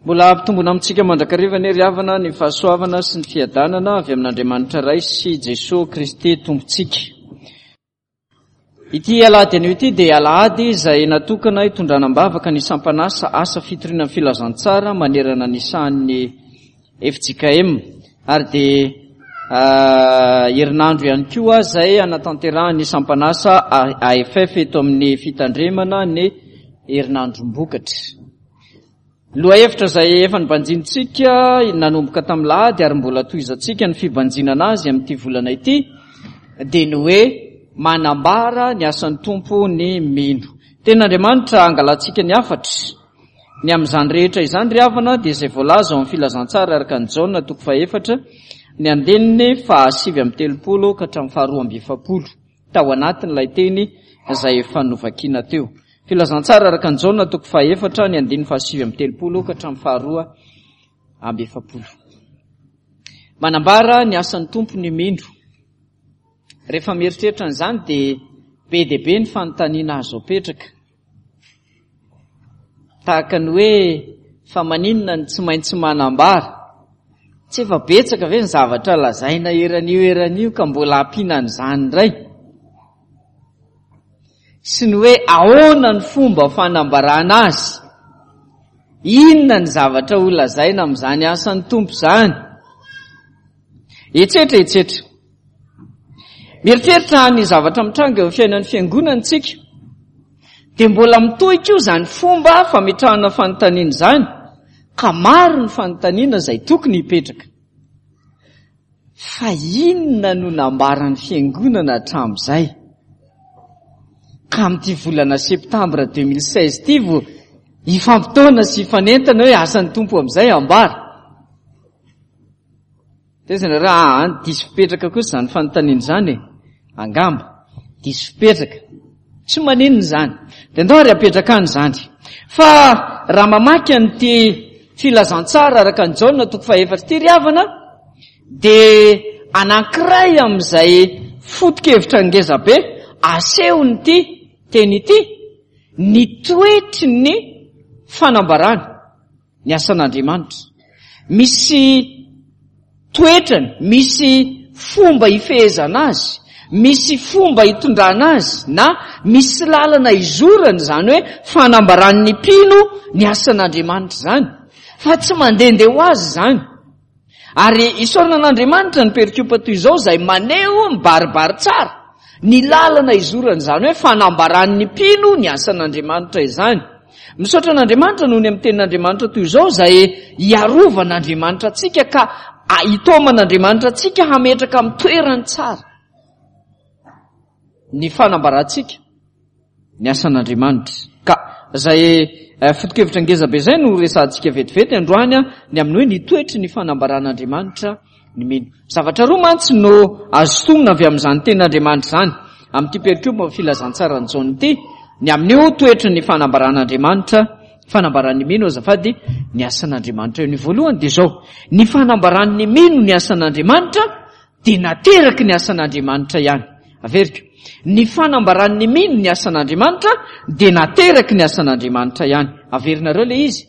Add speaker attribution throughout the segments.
Speaker 1: Mbola hampitombona amintsika mandrakariva anie ry havana ny fahasoavana sy ny fiadanana avy amin'Andriamanitra Ray sy Jesoa Kristy Tompontsika. Ity alahady anio ity dia alahady izay natokana hitondrana am-bavaka ny sampan'asa asa fitoriana ny filazantsara manerana ny sahan'ny fjkm ary dia herinandro ihany koa izay hanatanterahan'ny sampan'asa AFF eto amin'ny fitandremana ny herinandrom-bokatra. Lohahevitra izay efa nibanjinintsika nanomboka tamin'ny lahady ary mbola tohizantsika ny fibanjinana azy amin'ity volana ity dia ny hoe manambara ny asan'ny Tompo ny mino. Tenin'Andriamanitra angalantsika ny hafatra. Ny amin'izany rehetra izany ry havana dia izay voalaza ao amin'ny filazantsara araka an'i Jaona toko fahefatra ny andininy faha-39 ka hatramin'ny faha-42 tao anatin'ilay teny izay efa novakiana teo. Filazantsara araka an'i Jaona toko fahefatra ny andininy faha-39 ka hatramin'ny faha-42. Manambara ny asan'ny Tompo ny mino. Rehefa mieritreritra an'izany dia be dia be ny fanontaniana azo apetraka. Tahaka ny hoe fa maninona no tsy maintsy manambara? Tsy efa betsaka ve ny zavatra lazaina eran'io eran'io ka mbola ampiana an'izany indray? Sy ny hoe ahoana ny fomba fanambarana azy? Inona ny zavatra ho lazaina amin'izany asan'ny Tompo izany? Etsetra etsetra. Mieritreritra ny zavatra mitranga eo amin'ny fiainan'ny fiangonana isika, dia mbola mitohy koa izany fomba fametrahana fanontaniana izany, ka maro ny fanontaniana izay tokony hipetraka. Fa inona no nambaran'ny fiangonana hatramin'izay? Ka amin'ity volana septambra 2016 ity vao hifampitaona sy hifanentana hoe asan'ny Tompo amin'izay ambara. Taiza nareo? Aa, diso fipetraka kosa izany fanontaniana izany e. Angamba, diso fipetraka. Tsy maninona izany. Dia ndao ary apetraka any izany. Fa raha mamaky an'ity filazantsara araka an'i Jaona toko fahefatra ity ry havana, dia anankiray amin'izay foto-kevitra ngeza be asehon'ity teny ity ny toetry ny fanambarana. ny asan'Andriamanitra. Misy toetrany, misy fomba ifehezana azy, misy fomba itondrana azy, na misy lalana izorany izany hoe fanambaran'ny mpino ny asan'Andriamanitra izany, fa tsy mandehandeha ho azy izany. Ary isaorana an'Andriamanitra ny perikopa toy izao izay maneho mibaribary tsara ny lalana izorana izany hoe fanambaran'ny mpino ny asan'Andriamanitra izany. Misaotra an'Andriamanitra noho ny amin'ny tenin'Andriamanitra toy izao izay hiarovan'Andriamanitra antsika ka hitaoman'Andriamanitra antsika hametraka amin'ny toerany tsara ny fanambarantsika. ny asan'Andriamanitra. Ka izay eh, foto-kevitra ngeza be izay no resahantsika vetivety androany ny amin'ny hoe ny toetry ny fanambaran'Andriamanitra ny mino. Zavatra roa mantsy no azo sintomina avy amin'izany tenin'Andriamanitra izany amin'ity perikopa filazantsaran'i Jaona ity, ny amin'io toetry ny fanambaran'Andriamanitra, fanambaran'ny mino azafady, ny asan'Andriamanitra io. Ny voalohany dia izao, ny fanambaran'ny mino ny asan'Andriamanitra dia nateraky ny asan'Andriamanitra ihany. Averiko, ny fanambaran'ny mino ny asan'Andriamanitra dia nateraky ny asan'Andriamanitra ihany. Averinareo ilay izy.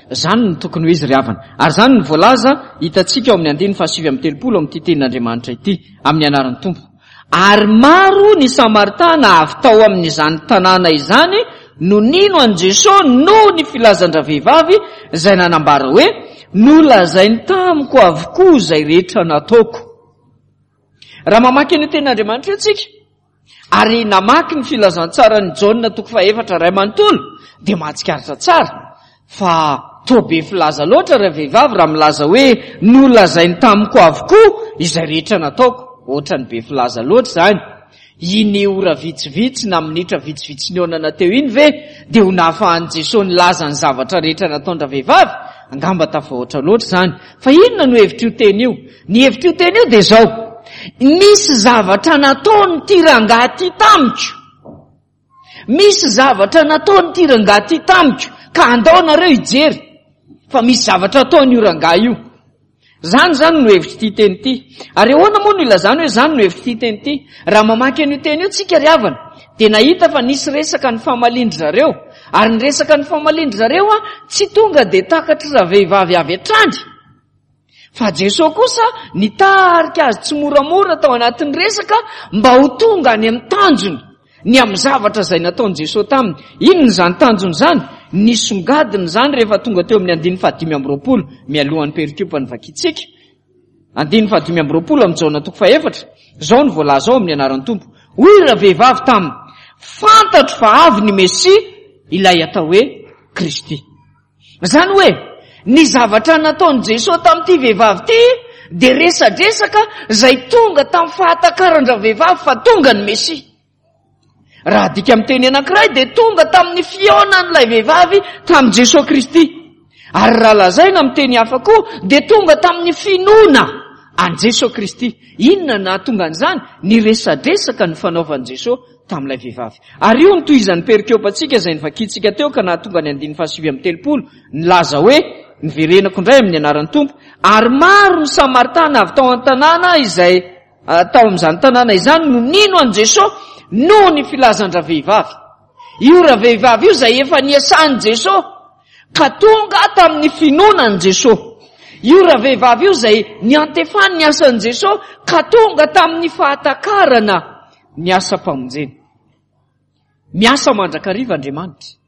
Speaker 1: Izany no tokony ho izy ry havana. Ary izany no voalaza hitantsika ao amin'ny andininy faha-39 amin'ity tenin'Andriamanitra ity, amin'ny anaran'ny Tompo. Ary maro ny Samaritana avy tao amin'izany tanàna izany no nino an'i Jesoa noho ny filazan-dravehivavy izay nanambara hoe, Nolazainy tamiko avokoa izay rehetra nataoko. Raha mamaky an'io tenin'Andriamanitra io tsika, ary namaky ny filazantsaran'i Jaona toko fahefatra iray manontolo, dia mahatsikaritra tsara fa toa be filaza loatra ravehivavy raha milaza hoe nolazainy tamiko avokoa izay rehetra nataoko. Ohatran'ny be filaza loatra izany. Iny ora vitsivitsy na minitra vitsivitsy nihaonana teo iny ve dia ho nahafahan'i Jesoa nilaza ny zavatra rehetra nataon-dravehivavy? Angamba tafahoatra loatra izany. Fa inona no hevitr'io teny io? Ny hevitr'io teny io dia izao, nisy zavatra nataon'ity rangahy ity tamiko. Misy zavatra nataon'ity rangahy ity tamiko ka andao nareo hijery fa misy zavatra ataon'io rangahy io. Zany zany no hevitr'ity teny ity. Ary ahoana moa no ilazana hoe zany no hevitr'ity teny ity? Raha mamaky an'io teny io tsika ry havana, Dia nahita fa nisy resaka nifamalian-dry zareo. Ary ny resaka nifamalian-dry zareo tsy tonga dia takatry ravehivavy avy hatrany. Fa Jesoa kosa nitarika azy tsimoramora tao anatin'ny resaka mba ho tonga any amin'ny tanjony, ny amin'ny zavatra izay nataon'i Jesoa taminy. Inona izany tanjony izany? Nisongadina izany rehefa tonga teo amin'ny andininy faha-25, mialohan'ny perikopa novakintsika. Andininy faha-25 amin'ny Jaona toko fahefatra, izao no voalaza ao amin'ny anaran'ny Tompo. Hoy ravehivavy taminy, Fantatro fa avy ny Mesia, ilay atao hoe Kristy. Izany hoe, ny zavatra nataon'i Jesoa tamin'ity vehivavy ity dia resadresaka izay tonga tamin'ny fahatakaran-dravehivavy fa tonga ny Mesia. Raha adika amin'ny teny anankiray dia tonga tamin'ny fihaonan'ilay vehivavy tamin'i Jesoa Kristy. Ary raha lazaina amin'ny teny hafa koa dia tonga tamin'ny finoana an'i Jesoa Kristy. Inona no nahatonga an'izany? Ny resadresaka nifanaovan'i Jesoa tamin'ilay vehivavy. Ary io no tohizan'ny perikopantsika izay novakintsika teo ka nahatonga ny andininy faha-39 nilaza hoe, Niverenako indray amin'ny anaran'ny Tompo, ary maro ny Samaritana avy tao an-tanàna izay tao amin'izany tanàna izany no nino an'i Jesoa noho ny filazan-dravehivavy. Io ravehivavy io izay efa niasan'i Jesoa ka tonga tamin'ny finoana an'i Jesoa. Io ravehivavy io izay niantefany ny asan'i Jesoa ka tonga tamin'ny fahatakarana ny asam-pamonjena. Miasa mandrakariva Andriamanitra.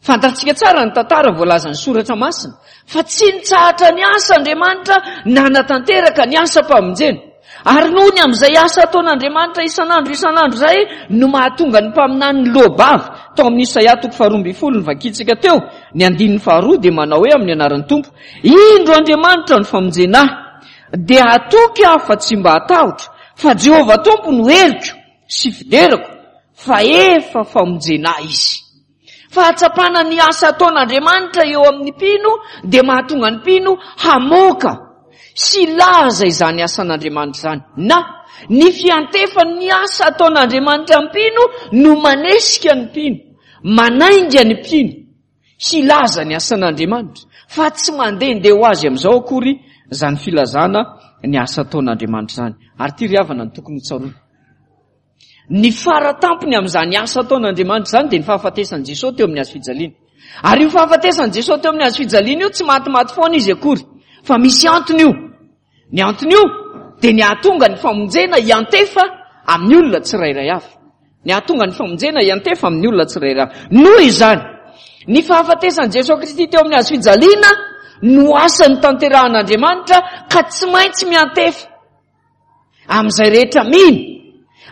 Speaker 1: Fantatsika tsara ny tantara voalazan'ny Soratra Masina fa tsy nitsahatra niasa Andriamanitra nanatanteraka ny asam-pamonjena. Ary noho ny amin'izay asa ataon'Andriamanitra isan'andro isan'andro izay no mahatonga ny mpaminany niloa-bava tao amin'ny Isaia toko faharoa ambin'ny folo novakintsika teo, ny andininy faharoa dia manao hoe amin'ny anaran'ny Tompo, Indro Andriamanitra no famonjena ahy, dia hatoky aho fa tsy mba hatahotra, fa Jehovah Tompo no heriko sy fiderako, fa efa famonjena ahy Izy. Fahatsapana ny asa ataon'Andriamanitra eo amin'ny mpino dia mahatonga ny mpino hamoaka sy hilaza izany asan'Andriamanitra izany. Na, ny fiantefan'ny asa ataon'Andriamanitra amin'ny mpino no manesika ny mpino, manainga ny mpino hilaza ny asan'Andriamanitra, fa tsy mandehandeha ho azy amin'izao akory izany filazana ny asa ataon'Andriamanitra izany. Ary ity ry havana no tokony hotsaroana. Ny fara tampony amin'izany asa ataon'Andriamanitra izany dia ny fahafatesan'i Jesoa teo amin'ny hazo fijaliana. Ary io fahafatesan'i Jesoa teo amin'ny hazo fijaliana io tsy matimaty foana izy akory, fa misy antony io. Ny antony io dia ny hahatonga ny famonjena hiantefa amin'ny olona tsirairay avy. Ny hahatonga ny famonjena hiantefa amin'ny olona tsirairay avy. Noho izany, ny fahafatesan'i Jesoa Kristy teo amin'ny hazo fijaliana no asa notanterahan'Andriamanitra ka tsy maintsy miantefa. Amin'izay rehetra mino,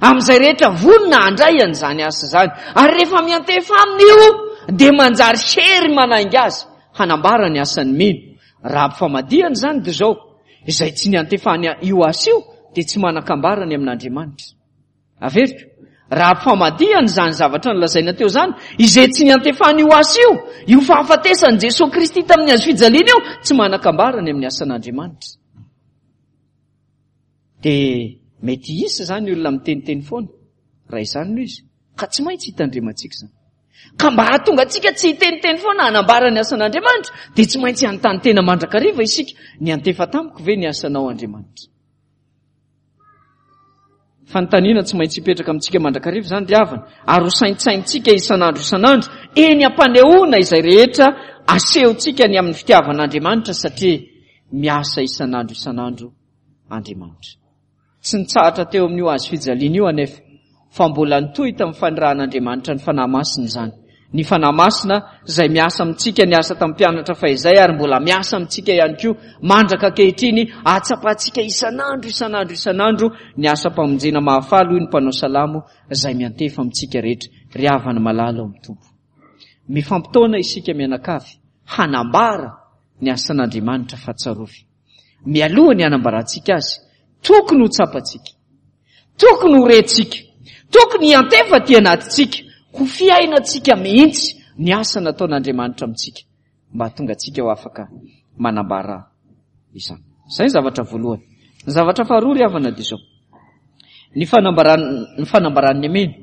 Speaker 1: amin'izay rehetra vonona handray an'izany asa izany. Ary rehefa miantefa aminy io, dia manjary hery manainga azy hanambara ny asan'ny mino. Raha ampifamadihana izany dia izao, izay tsy niantefany io asa io dia tsy manan-kambara ny amin'Andriamanitra. Averiko, raha ampifamadihana izany zavatra nolazaina teo izany, izay tsy niantefany io asa io, io fahafatesan'i Jesoa Kristy tamin'ny hazo fijaliana io, tsy manan-kambara ny amin'ny asan'Andriamanitra. Dia mety hisy izany olona miteniteny foana, raha izany no izy, ka tsy maintsy hitandremantsika izany. Ka mba hahatonga antsika tsy hiteniteny foana hanambara ny asan'Andriamanitra, dia tsy maintsy hanontany tena mandrakariva isika, niantefa tamiko ve ny asanao Andriamanitra? Fanontaniana tsy maintsy hipetraka amintsika mandrakariva izany ry havana, ary ho saintsaintsika isan'andro isan'andro, eny am-panehoana izay rehetra asehontsika ny amin'ny fitiavan'Andriamanitra satria miasa isan'andro isan'andro Andriamanitra. Tsy nitsahatra teo amin'io hazo fijaliana io anefa, fa mbola nitohy tamin'ny fanirahan'Andriamanitra ny Fanahy Masina izany. Ny Fanahy Masina izay miasa amintsika, niasa tamin'ny mpianatra fahizay ary mbola miasa amintsika ihany koa mandraka ankehitriny, ahatsapantsika isan'andro isan'andro isan'andro ny asam-pamonjena mahafaly hoy ny mpanao salamo izay miantefa amintsika rehetra. Ry havana malala ao amin'ny Tompo. Mifampitaona isika mianakavy hanambara ny asan'Andriamanitra fa tsarovy. Mialoha ny hanambarantsika azy, tokony ho tsapantsika, tokony ho rentsika, tokony hiantefa aty anatintsika, ho fiainantsika mihitsy ny asa nataon'Andriamanitra amintsika mba hahatonga antsika ho afaka manambara izany. Izay ny zavatra voalohany. Ny zavatra faharoa ry havana dia izao. Ny fanambaran ny fanambaran'ny amena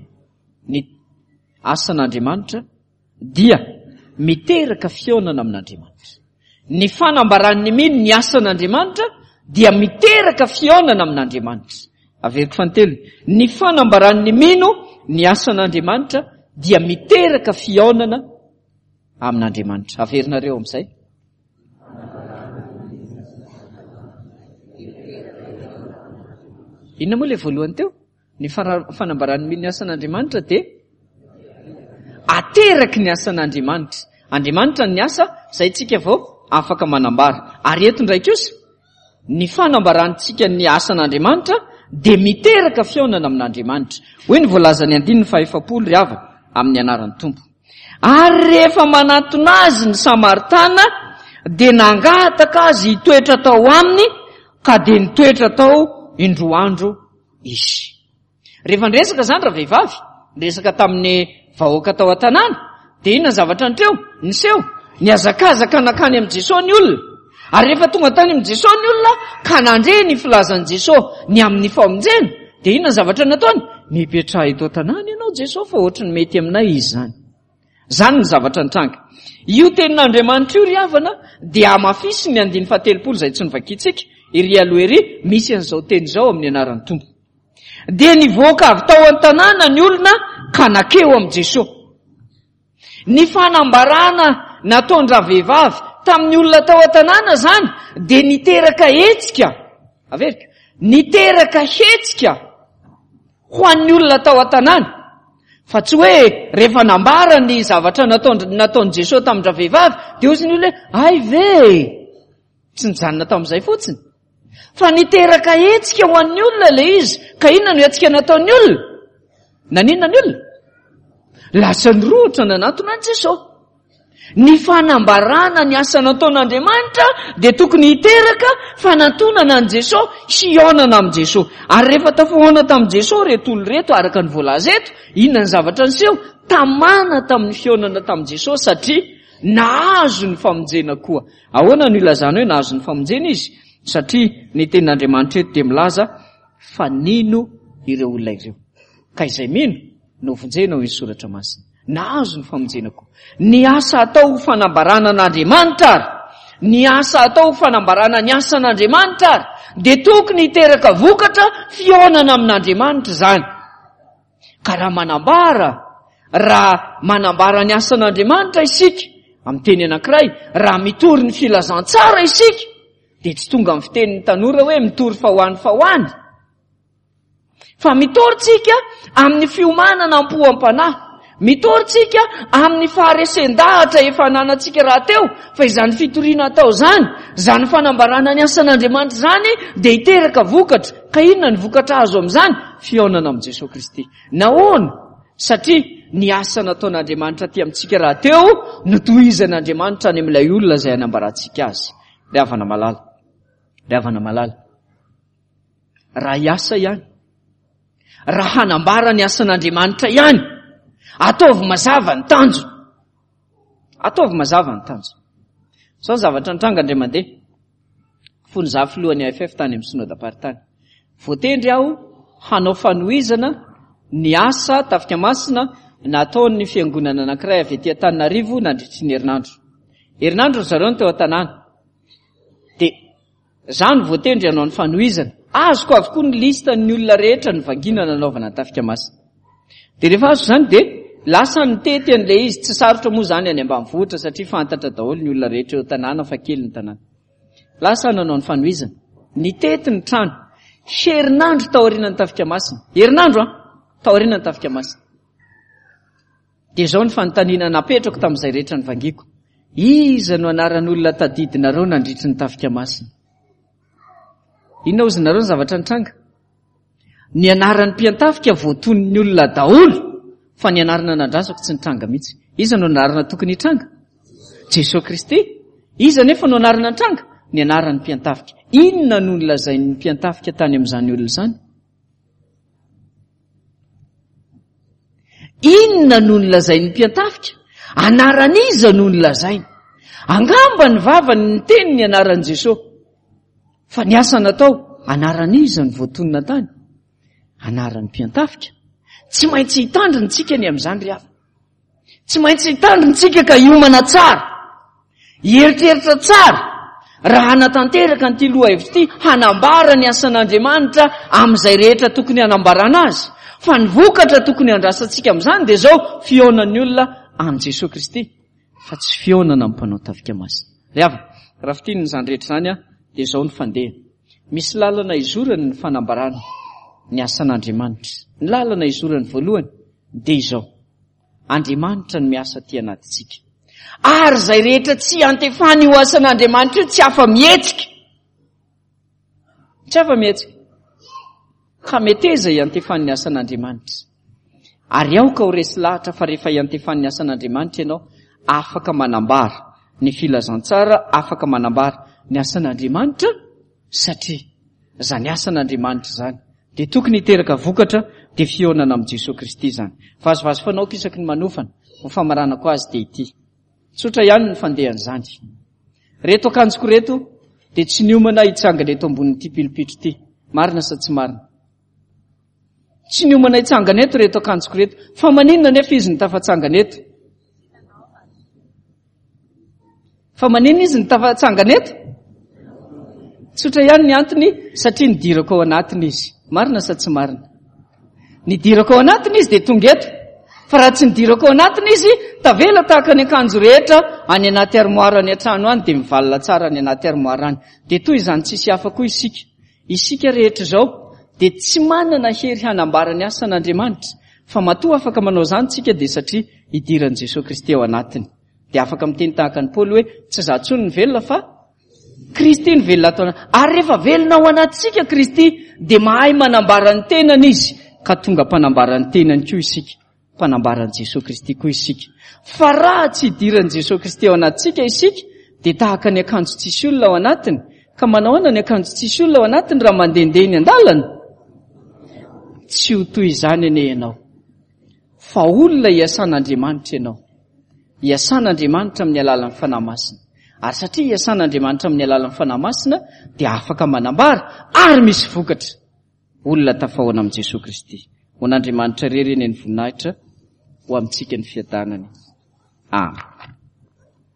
Speaker 1: ny asan'Andriamanitra dia miteraka fihaonana amin'Andriamanitra. Ny fanambaran'ny mino ny asan'Andriamanitra dia miteraka fihaonana amin'Andriamanitra. Averiko fanintelony, ny fanambaran'ny mino ny asan'Andriamanitra dia miteraka fihaonana amin'Andriamanitra. Averinareo amin'izay. Inona moa ilay voalohany teo? Ny fanambaran'ny mino ny asan'Andriamanitra dia ateraky ny asan'Andriamanitra. Andriamanitra ny asa, izay tsika vao afaka manambara. Ary eto indray kosa, Ny fanambarantsika ny asan'Andriamanitra dia miteraka fihaonana amin'Andriamanitra. Hoy ny voalazan'ny andininy fahefapolo ry havana, amin'ny anaran'ny Tompo. Ary rehefa manatona azy ny Samaritana dia nangataka azy hitoetra tao aminy ka dia nitoetra tao indroa andro izy. Rehefa niresaka izany ravehivavy, niresaka tamin'ny vahoaka tao an-tanàna, dia inona ny zavatra nitreo? Niseho. Nihazakazaka nankany amin'i Jesosy ny olona. Ary rehefa tonga tany amin'i Jesosy ny olona ka nandre ny filazan'i Jesosy ny amin'ny famonjena, dia inona ny zavatra nataony? Mipetraha eto an-tanàna ianao Jesosy fa ohatry ny mety aminay izy izany. Izany ny zavatra nitranga. Io tenin'Andriamanitra io ry havana dia hamafisin'ny andininy fahatelopolo izay tsy novakintsika ery aloha ery, misy an'izao teny izao amin'ny anaran'ny Tompo. Dia nivoaka avy tao an-tanàna ny olona ka nakeo amin'i Jesoa. Ny fanambarana nataon-dravehivavy tamin'ny olona tao an-tanàna izany dia niteraka hetsika, averiko, niteraka hetsika ho an'ny olona tao an-tanàna. Fa tsy hoe rehefa nambara ny zavatra nataon-nataon'i Jesoa tamin-dravehivavy dia hozy ny olona hoe ay ve e! Tsy nijanona tamin'izay fotsiny. Fa niteraka hetsika ho an'ny olona ilay izy. Ka inona no hetsika nataon'ny olona? Naninona ny olona? Lasa nirohotra nanatona an'i Jesosy. Ny fanambarana ny asa nataon'Andriamanitra dia tokony hiteraka fanantonana an'i Jesosy, hihaonana amin'i Jesosy. Ary rehefa tafahaona tamin'i Jesosy ireto olona ireto araka ny voalaza eto, inona ny zavatra niseho? Tamana tamin'ny fihaonana tamin'i Jesosy satria nahazo ny famonjena koa. Ahoana no ilazana hoe nahazo ny famonjena izy? Satria ny tenin'Andriamanitra eto dia milaza fa nino ireo olona ireo. Ka izay mino no vonjena hoy ny soratra masina. Nahazo ny famonjena koa. Ny asa atao ho fanambarana an'Andriamanitra ary, ny asa atao ho fanambarana ny asan'Andriamanitra ary, dia tokony hiteraka vokatra fihaonana amin'Andriamanitra izany. Ka raha manambara, raha manambara ny asan'Andriamanitra isika, amin'ny teny anankiray, raha mitory ny filazantsara isika, dia tsy tonga amin'ny fitenin'ny tanora hoe mitory fa ho any fa ho any. Fa mitory tsika amin'ny fiomanana am-po am-panahy. Mitory tsika amin'ny faharesen-dahatra efa ananantsika rahateo fa izany fitoriana atao izany, izany fanambarana ny asan'Andriamanitra izany dia hiteraka vokatra. Ka inona ny vokatra azo amin'izany? Fihaonana amin'i Jesoa Kristy. Nahoana? Satria ny asa nataon'Andriamanitra aty amintsika rahateo no tohizan'Andriamanitra any amin'ilay olona izay anambarantsika azy. Ry havana malala, ry havana malala, raha hiasa ihany, raha hanambara ny asan'Andriamanitra ihany, ataovy mazava ny tanjona. Ataovy mazava ny tanjona. Izao ny zavatra nitranga indray mandeha. Fony izaho filohan'ny AFF tany amin'ny synodam-paritany. Voatendry aho hanao fanohizana ny asa Tafika Masina nataon'ny fiangonana anankiray avy aty Antananarivo nandritry ny herinandro. Herinandro ry zareo no teo an-tanàna. Dia Za no voatendry hanao ny fanohizana. Azoko avokoa ny liste ny olona rehetra nivangiana nanaovana ny tafika masina. Dia rehefa azo izany dia lasa nitety an'ilay izy. Tsy sarotra moa izany any ambanivohitra satria fantatra daholo ny olona rehetra eo an-tanàna fa kely ny tanàna. Lasa nanao ny fanohizana. Nitety ny trano. Herinandro taorian'ny tafika masina. Herinandro an! Taorian'ny tafika masina. Dia izao ny fanontaniana napetrako tamin'izay rehetra nivangiako, Iza no anaran'olona tadidinareo nandritry ny tafika masina? Inona hozy nareo ny zavatra nitranga? Ny anaran'ny mpiantafika voatonin'ny olona daholo, fa ny anarana nandrasako tsy nitranga mihitsy. Iza no anarana tokony hitranga? Jesoa Kristy. Iza nefa no anarana nitranga? Ny anaran'ny mpiantafika. Inona no nolazain'ny mpiantafika tany amin'izany olona izany? Inona no nolazain'ny mpiantafika? Anaran'iza no nolazainy? Angamba ny vavany niteny ny anaran'i Jesosy. Fa ny asa natao, anaran'iza no voatonona tany? Anaran'ny mpiantafika. Tsy maintsy hitandrina tsika ny amin'izany ry havana. Tsy maintsy hitandrina tsika ka hiomana tsara. Hieritreritra tsara. Raha hanatanteraka an'ity lohahevitra ity, hanambara ny asan'Andriamanitra amin'izay rehetra tokony hanambarana azy. Fa ny vokatra tokony handrasantsika amin'izany dia izao, fihaonan'ny olona amin'i Jesoa Kristy, fa tsy fihaonana amin'ny mpanao tafika masina. Ry havana, raha fintinina izany rehetra izany dia izao ny fandehany. Misy lalana izorany ny fanambarana ny asan'Andriamanitra. Ny lalana izorany voalohany dia izao. Andriamanitra no miasa aty anatintsika. Ary izay rehetra tsy iantefany io asan'Andriamanitra io tsy afa-mihetsika. Tsy afa-mihetsika. Ka meteza iantefan'ny asan'Andriamanitra. Ary aoka ho resy lahatra fa rehefa iantefan'ny asan'Andriamanitra ianao, afaka manambara ny filazantsara, afaka manambara ny asan'Andriamanitra, satria izany asan'Andriamanitra izany dia tokony hiteraka vokatra dia fihaonana amin'i Jesoa Kristy izany. Vazivazy fanaoko isaky ny manofana, ho famaranako azy dia ity. Tsotra ihany ny fandehan'izany. Reto akanjoko reto dia tsy niomana hitsangana eto ambonin'ity pilipitro ity. Marina sa tsy marina? Tsy niomana hitsangana eto reto akanjoko reto. Fa maninona nefa izy no tafatsangana eto? Fa maninona izy no tafatsangana eto? Tsotra ihany ny antony satria nidirako ao anatiny izy. Marina sa tsy marina? Nidirako ao anatiny izy dia tonga eto. Fa raha tsy nidirako ao anatiny izy, tavela tahaka ny akanjo rehetra any anaty armoire any an-trano any dia mivalona tsara any anaty armoire any. Dia toy izany tsisy hafa koa isika. Isika rehetra izao dia tsy manana hery hanambara ny asan'Andriamanitra. Fa matoa afaka manao izany tsika dia satria idiran'i Jesoa Kristy ao anatiny. Dia afaka miteny tahaka an'i Paoly hoe tsy izaho intsony no velona fa Kristy no velona ato anaty. Ary rehefa velona ao anatintsika Kristy dia mahay manambara ny tenany Izy ka tonga mpanambara ny tenany koa isika. Mpanambara an'i Jesoa Kristy koa isika. Fa raha tsy idiran'i Jesoa Kristy ao anatintsika isika dia tahaka ny akanjo tsisy olona ao anatiny. Ka manao ahoana ny akanjo tsisy olona ao anatiny raha mandehandeha eny an-dalana? Tsy ho toy izany anie ianao. Fa olona iasan'Andriamanitra ianao. Iasan'Andriamanitra amin'ny alalan'ny Fanahy Masina. Ary satria iasan'Andriamanitra amin'ny alalan'ny Fanahy Masina dia afaka manambara ary misy vokatra. Olona tafahoana amin'i Jesoa Kristy. Ho an'Andriamanitra irery anie ny voninahitra, ho amintsika ny fiadanany. Amen.